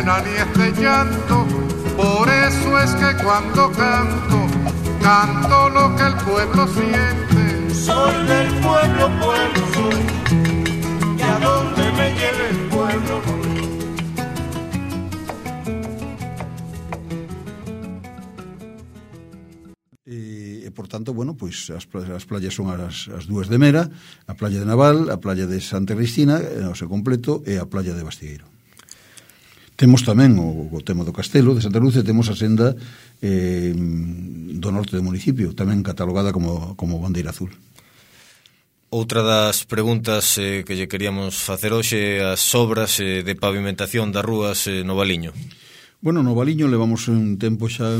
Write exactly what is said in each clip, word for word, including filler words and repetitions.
pena ni este llanto. Por eso es que cuando canto, canto lo que el pueblo siente. Soy del pueblo, pueblo soy, y a donde me lleve el pueblo voy. E, por tanto, bueno, pois as, as playas son as, as dúas de Mera, a playa de Naval, a playa de Santa Cristina, o seu completo, e a playa de Bastigueiro. Temos tamén o, o tema do Castelo de Santa Luz, e temos a senda eh, do norte do municipio, tamén catalogada como, como bandeira azul. Outra das preguntas eh, que lle queríamos facer hoxe, as obras eh, de pavimentación das rúas eh, no Valiño. Bueno, no Valiño levamos un tempo xa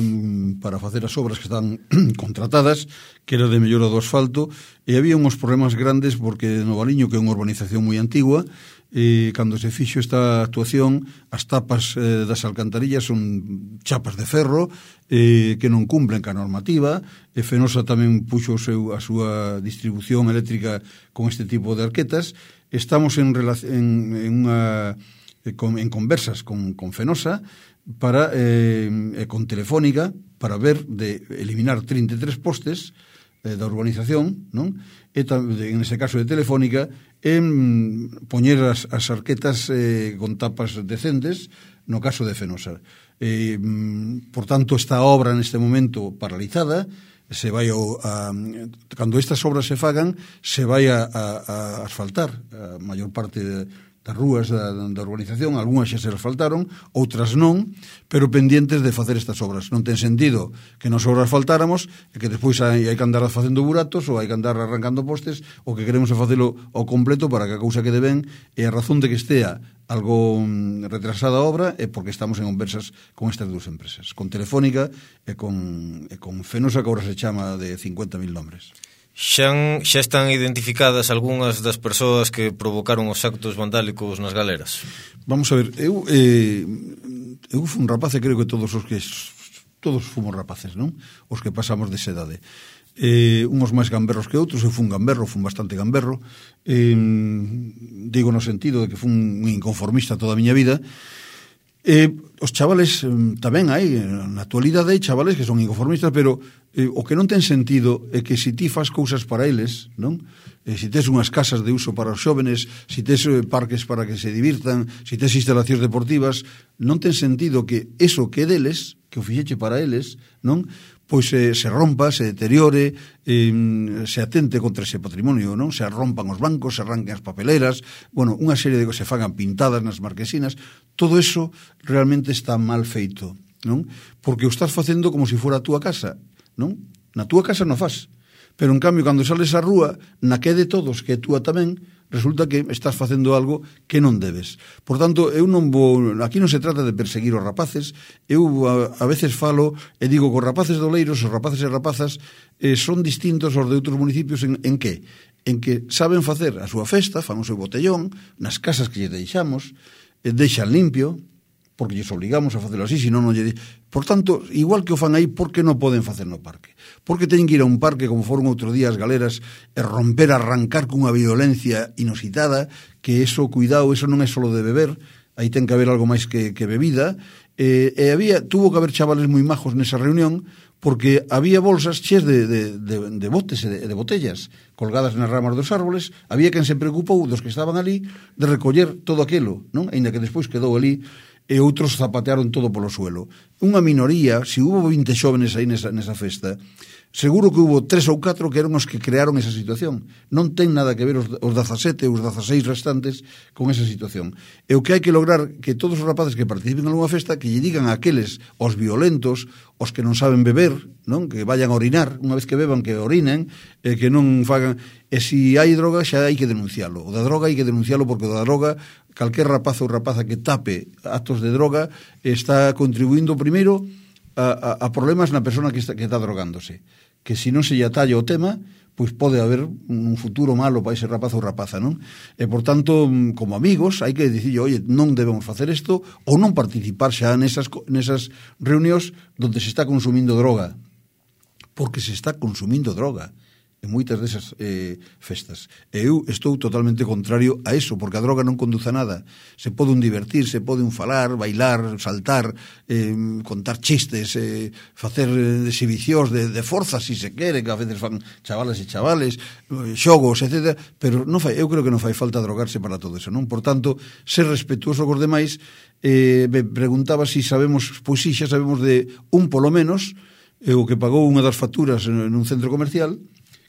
para facer as obras que están contratadas, que era de mellora do asfalto, e había uns problemas grandes porque no Valiño, que é unha urbanización moi antigua, e cando se fixo esta actuación, as tapas eh, das alcantarillas son chapas de ferro eh, que non cumplen ca normativa, e Fenosa tamén puxo o seu, a súa distribución eléctrica con este tipo de arquetas. Estamos en, en, en, unha, en conversas con, con Fenosa para eh, con Telefónica para ver de eliminar trinta e tres postes eh, da urbanización, non? E en ese caso de Telefónica, en poñer as, as arquetas eh, con tapas decentes no caso de Fenosa. Eh, por tanto, esta obra neste momento paralizada, se vai o, a, cando estas obras se fagan, se vai a, a, a asfaltar a maior parte de das rúas da, da urbanización, algunhas xa se asfaltaron, outras non, pero pendientes de facer estas obras. Non ten sentido que nos obras faltáramos e que despois hai, hai que andar facendo buratos ou hai que andar arrancando postes, o que queremos é facelo ao completo para que a cousa quede ben, e a razón de que estea algo retrasada a obra é porque estamos en conversas con estas dúas empresas, con Telefónica e con, e con Fenosa, que agora se chama de cincuenta mil nombres. Xa, xa están identificadas algunhas das persoas que provocaron os actos vandálicos nas galeras? Vamos a ver, eu eh, eu fui un rapaz e creo que todos os que todos fomos rapaces, non? Os que pasamos desa idade. Eh, uns máis gamberros que outros, eu fui un gamberro, fui bastante gamberro, eh, digo no sentido de que fui un inconformista toda a miña vida. Eh, os chavales tamén hai, na actualidade hai chavales que son inconformistas, pero eh, o que non ten sentido é que se ti fas cousas para eles, non? Eh, se tes unhas casas de uso para os xóvenes, se tes eh, parques para que se divirtan, se tes instalacións deportivas, non ten sentido que eso que é deles, que o fixeche para eles, non? Pois eh, se rompa, se deteriore, eh, se atente contra ese patrimonio, non? Se rompan os bancos, se arranquen as papeleras, bueno, unha serie de cosas se fagan pintadas nas marquesinas, todo eso realmente está mal feito, non? Porque o estás facendo como se fora a túa casa, non? Na túa casa non faz, pero en cambio cando sales á rúa, na que de todos, que é túa tamén, resulta que estás facendo algo que non debes. Por tanto, eu non vou, aquí non se trata de perseguir os rapaces, eu a, a veces falo e digo que os rapaces de Oleiros, os rapaces e rapazas eh, son distintos aos de outros municipios en, en que? En que saben facer a súa festa, fan o seu botellón, nas casas que lle deixamos, eh, deixan limpio, porque lles obligamos a facelo así, senón non lle... Por tanto, igual que o fan aí, por que non poden facer no parque? Porque teñen que ir a un parque, como foron outro día as galeras, e romper, arrancar cunha violencia inusitada, que eso, cuidado, eso non é solo de beber, aí ten que haber algo máis que, que bebida, e, e había, tuvo que haber chavales moi majos nesa reunión, porque había bolsas cheas de, de, de, de botes e de, de botellas colgadas nas ramas dos árboles. Había quen se preocupou dos que estaban ali de recoller todo aquilo, non? Ainda que despois quedou ali e outros zapatearon todo polo suelo. Unha minoría, se hubo vinte xóvenes aí nesa, nesa festa, seguro que hubo tres ou catro que eran os que crearon esa situación. Non ten nada que ver os, os dezasete ou os dezaseis restantes con esa situación. E o que hai que lograr que todos os rapaces que participen en unha festa, que lle digan a aqueles, os violentos, os que non saben beber, non? Que vayan a orinar, unha vez que beban que orinen, e que non fagan... E se hai droga xa hai que denuncialo. O da droga hai que denuncialo porque o da droga, calquer rapaz ou rapaza que tape actos de droga está contribuindo primeiro a, a, a problemas na persona que está, que está drogándose. Que se non se lle atalla o tema, pois pode haber un futuro malo para ese rapaz ou rapaza, non? E, por tanto, como amigos, hai que dicir, oye, non debemos facer isto, ou non participar xa nesas, nesas reunións donde se está consumindo droga. Porque se está consumindo droga. en moitas desas eh, festas. E eu estou totalmente contrario a eso, porque a droga non conduce a nada. Se pode un divertir, se pode un falar, bailar, saltar, eh, contar chistes, eh, facer exhibicións de, de forza, si se quere, que a veces fan chavales e chavales, xogos, etcétera, pero non fai, eu creo que non fai falta drogarse para todo eso, non? Por tanto, ser respetuoso cos demais. Eh, me preguntaba si sabemos, pois si, xa sabemos de un polo menos, eh, o que pagou unha das facturas en, en un centro comercial,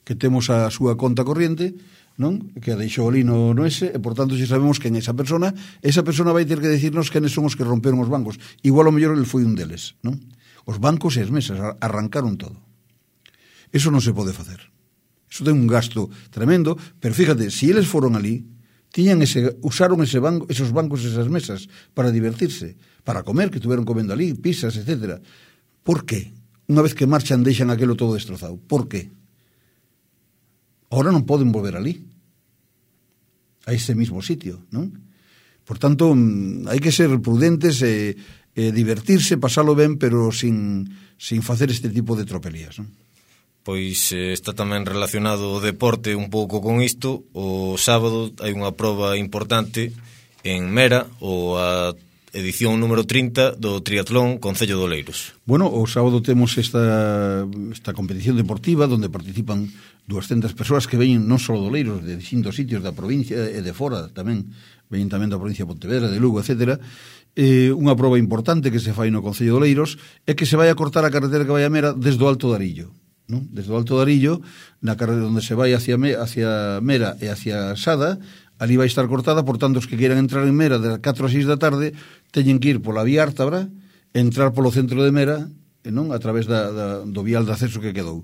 que temos a súa conta corriente, non? Que a deixou ali no, no ese, e por tanto, se sabemos quen é esa persona, esa persona vai ter que decirnos quenes son os que romperon os bancos. Igual o mellor el foi un deles, non? Os bancos e as mesas arrancaron todo. Eso non se pode facer. Eso ten un gasto tremendo, pero fíjate, si eles foron ali, tiñan ese, usaron ese banco, esos bancos, esas mesas, para divertirse, para comer, que estuveron comendo ali, pizzas, etcétera. Por qué? Unha vez que marchan, deixan aquelo todo destrozado. Por qué? Ahora non poden volver ali, a ese mismo sitio, non? Por tanto, hai que ser prudentes e, e divertirse, pasalo ben, pero sin, sin facer este tipo de tropelías, non? Pois eh, está tamén relacionado o deporte un pouco con isto. O sábado hai unha proba importante en Mera, ou a edición número trinta do triatlón Concello de Oleiros. Bueno, o sábado temos esta, esta competición deportiva onde participan doscientas persoas que veñen non só de Oleiros, de distintos sitios da provincia e de fora tamén, veñen tamén da provincia de Pontevedra, de Lugo, etcétera. Eh, unha proba importante que se fai no Concello de Oleiros é que se vai a cortar a carretera que vai a Mera desde o Alto de Arillo, non? Desde o Alto de Arillo, na carretera onde se vai hacia, hacia Mera e hacia Sada, ali vai estar cortada, por tanto, os que queiran entrar en Mera de catro a seis da tarde teñen que ir pola vía Ártabra, entrar polo centro de Mera, non? A través da, da, do vial de acceso que quedou.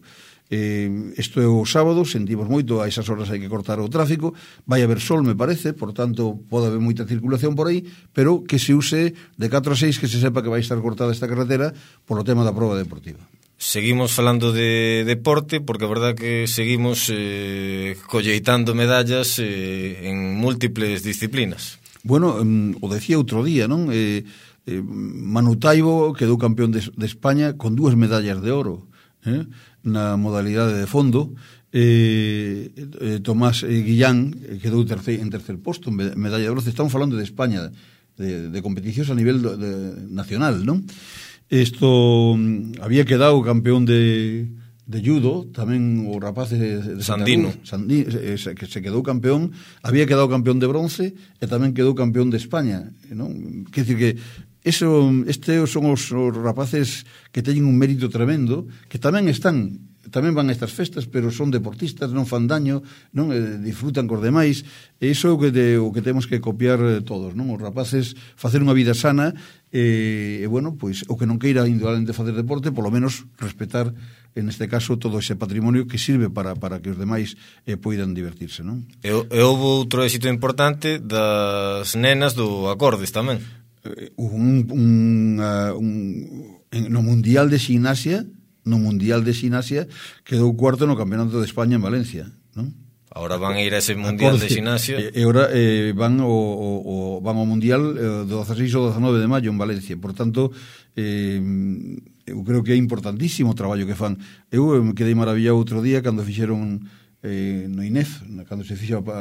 Eh, isto é o sábado, sentimos moito, a esas horas hai que cortar o tráfico, vai haber sol, me parece, por tanto, pode haber moita circulación por aí, pero que se use de catro a seis, que se sepa que vai estar cortada esta carretera polo tema da proba deportiva. Seguimos falando de deporte, porque a verdad que seguimos eh, colleitando medallas eh, en múltiples disciplinas. Bueno, um, o decía outro día, non? Eh, eh, Manu Taibo quedou campeón de, de España con dúas medallas de oro, eh? Na modalidade de fondo. eh, eh, Tomás eh, Guillán quedou terce, en tercer posto, medalla de bronce. Estamos falando de España, de, de competicións a nivel de, de, nacional, non? Esto había quedado campeón de, de judo, tamén o rapaz de, de Sandino, Sandino eh, que se quedou campeón, había quedado campeón de bronce e tamén quedou campeón de España, non? Quer dicir que eso, estes son os, os rapaces que teñen un mérito tremendo, que tamén están, tamén van a estas festas, pero son deportistas, non fan daño, non eh, disfrutan cos demais, e iso é o que, de, o que temos que copiar todos, non? Os rapaces facer unha vida sana, e, e bueno, pois o que non queira indudablemente facer deporte, polo menos respetar, en este caso, todo ese patrimonio que sirve para, para que os demais eh, poidan divertirse, non? E, e houve outro éxito importante das nenas do Acordes tamén. Un, un, uh, un, no Mundial de Ximnasia, no Mundial de Ximnasia quedou cuarto no Campeonato de España en Valencia, non? Ahora van a ir a ese Mundial de Ximnasia. E agora eh, van ao, o, van ao Mundial eh, do dezaseis ao dezanove de maio en Valencia. Por tanto, eh, eu creo que é importantísimo o traballo que fan. Eu me quedei maravillado outro día cando fixeron eh, no I N E F, cando se fixo a,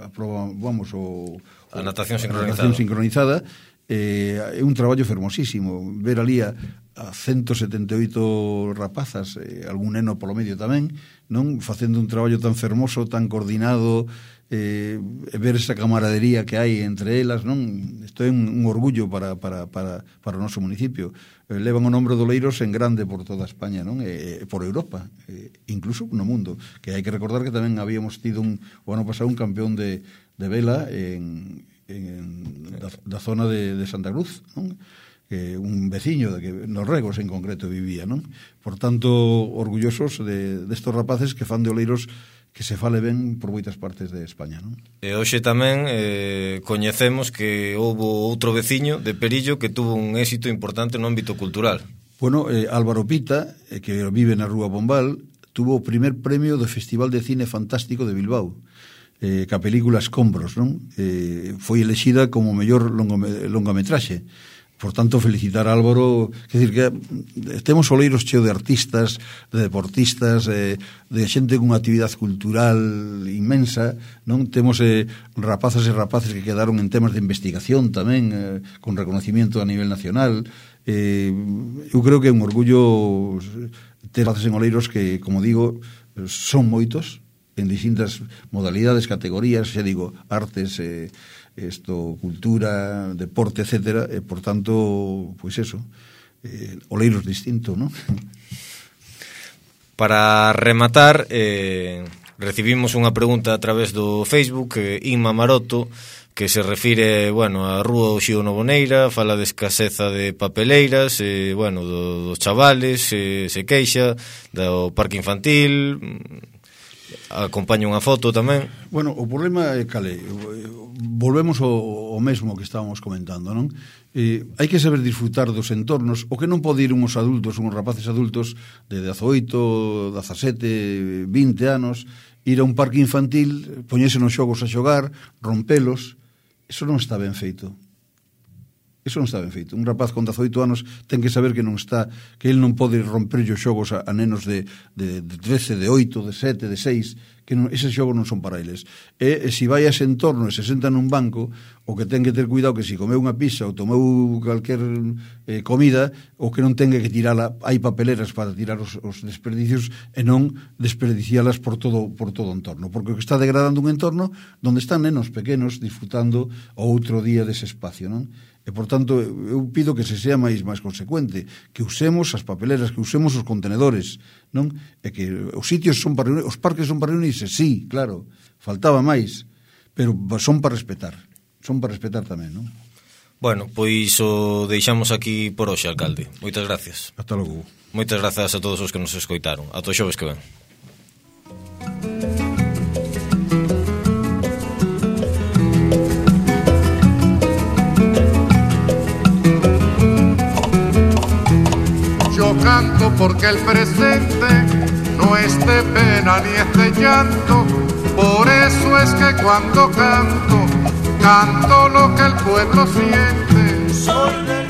a prova, vamos, o, a natación sincronizada. A natación sincronizada. Eh, é un traballo fermosísimo ver ali a, a ciento setenta e oito rapazas, eh, algún neno polo medio tamén, non, facendo un traballo tan fermoso, tan coordinado, eh, ver esa camaradería que hai entre elas, non? Isto é un, un orgullo para, para, para, para o noso municipio. Eh, levan o nombre do Oleiros en grande por toda España, non? E, por Europa, eh, incluso no mundo, que hai que recordar que tamén habíamos tido un, o ano pasado un campeón de, de vela en en, da, da zona de, de Santa Cruz, non? Que un veciño de que nos Regos en concreto vivía, non? Por tanto, orgullosos de destos de rapaces que fan de Oleiros que se fale ben por moitas partes de España, non? E hoxe tamén eh, coñecemos que houve outro veciño de Perillo que tuvo un éxito importante no ámbito cultural. Bueno, eh, Álvaro Pita, eh, que vive na Rúa Bombal, tuvo o primer premio do Festival de Cine Fantástico de Bilbao. Eh, que a película Escombros, non? Eh, foi elexida como mellor longome, longametraxe. Por tanto, felicitar a Álvaro, quer dicir que temos oleiros cheo de artistas, de deportistas, eh, de xente cunha actividade cultural inmensa, non? Temos eh, rapazas e rapaces que quedaron en temas de investigación tamén, eh, con reconocimiento a nivel nacional. Eh, eu creo que é un orgullo ter rapaces en oleiros que, como digo, son moitos, en distintas modalidades, categorías, xa digo, artes, eh, esto, cultura, deporte, etcétera, e, por tanto, pois eso, eh, oleiros distinto, non? Para rematar, eh, recibimos unha pregunta a través do Facebook, eh, Inma Maroto, que se refire, bueno, a Rúa Oxío Novoneira, fala de escaseza de papeleiras, eh, bueno, do, dos chavales, eh, se queixa, do parque infantil, acompaña unha foto tamén. Bueno, o problema é cale, volvemos ao, ao mesmo que estábamos comentando, non? Eh, hai que saber disfrutar dos entornos, o que non pode ir uns adultos, uns rapaces adultos de dezaoito, dezasete, vinte anos, ir a un parque infantil, poñerse nos xogos a xogar, rompelos, eso non está ben feito. Eso non está ben feito. Un rapaz con dezaoito anos ten que saber que non está, que ele non pode romper os xogos a, a nenos de, de, de trece, de oito, de sete, de seis, que non, eses xogos non son para eles. E, e se vai a ese entorno e se senta nun banco, o que ten que ter cuidado que se comeu unha pizza ou tomeu calquer eh, comida, o que non tenga que tirala, hai papeleras para tirar os, os desperdicios e non desperdicialas por todo por todo o entorno, porque o que está degradando un entorno onde están nenos pequenos disfrutando o outro día dese espacio, non? E, por tanto, eu pido que se sea máis máis consecuente, que usemos as papeleras, que usemos os contenedores, non? E que os sitios son para reunir, os parques son para reunirse, sí, claro, faltaba máis, pero son para respetar, son para respetar tamén, non? Bueno, pois o deixamos aquí por hoxe, alcalde. Moitas gracias. Hasta logo. Moitas grazas a todos os que nos escoitaron. Ata o xoves que ven. Yo canto porque el presente no es de pena ni es de llanto, por eso es que cuando canto, canto lo que el pueblo siente. Soy del